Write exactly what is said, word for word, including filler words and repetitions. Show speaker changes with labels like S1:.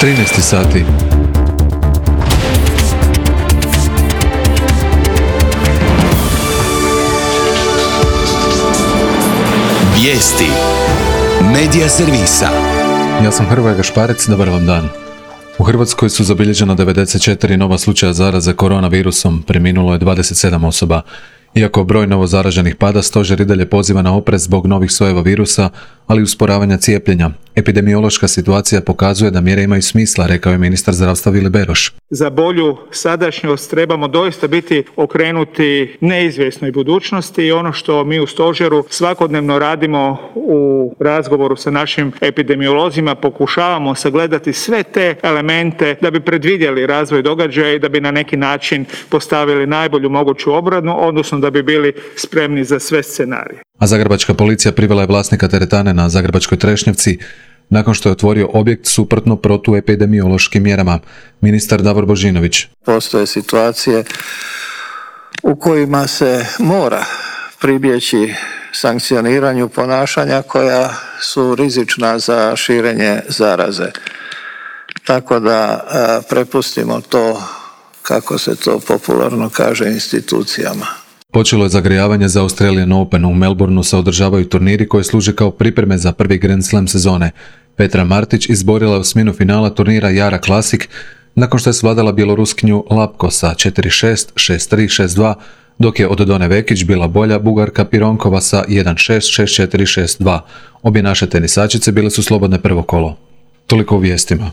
S1: trinaest sati.
S2: Vijesti Medija servisa.
S1: Ja sam Hrvoje Gašparec, dobar vam dan. U Hrvatskoj su zabilježeno devedeset četiri nova slučaja zaraze koronavirusom, preminulo je dvadeset sedam osoba. Iako broj novozaraženih pada, stožer i dalje poziva na oprez zbog novih sojeva virusa, ali i usporavanja cijepljenja. Epidemiološka situacija pokazuje da mjere imaju smisla, rekao je ministar zdravstva Vili Beroš.
S3: Za bolju sadašnjost trebamo doista biti okrenuti neizvjesnoj budućnosti i ono što mi u stožeru svakodnevno radimo u razgovoru sa našim epidemiolozima, pokušavamo sagledati sve te elemente da bi predvidjeli razvoj događaja i da bi na neki način postavili najbolju moguću obranu, odnosno da bi bili spremni za sve scenarije.
S1: A zagrebačka policija privela je vlasnika teretane na Zagrebačkoj Trešnjevci nakon što je otvorio objekt suprotno protuepidemiološkim mjerama. Ministar Davor Božinović.
S4: Postoje situacije u kojima se mora pribjeći sankcioniranju ponašanja koja su rizična za širenje zaraze. Tako da a, prepustimo to, kako se to popularno kaže, institucijama.
S1: Počelo je zagrijavanje za Australian Open. U Melbourneu se održavaju turniri koji služe kao pripreme za prvi Grand Slam sezone. Petra Martić izborila je osminu finala turnira Jara Classic nakon što je svladala bjeloruskinju Lapko sa četiri šest, šest tri, šest dva, dok je od Done Vekić bila bolja Bugarka Pironkova sa jedan šest, šest četiri, šest dva. Obje naše tenisačice bile su slobodne prvo kolo. Toliko u vijestima.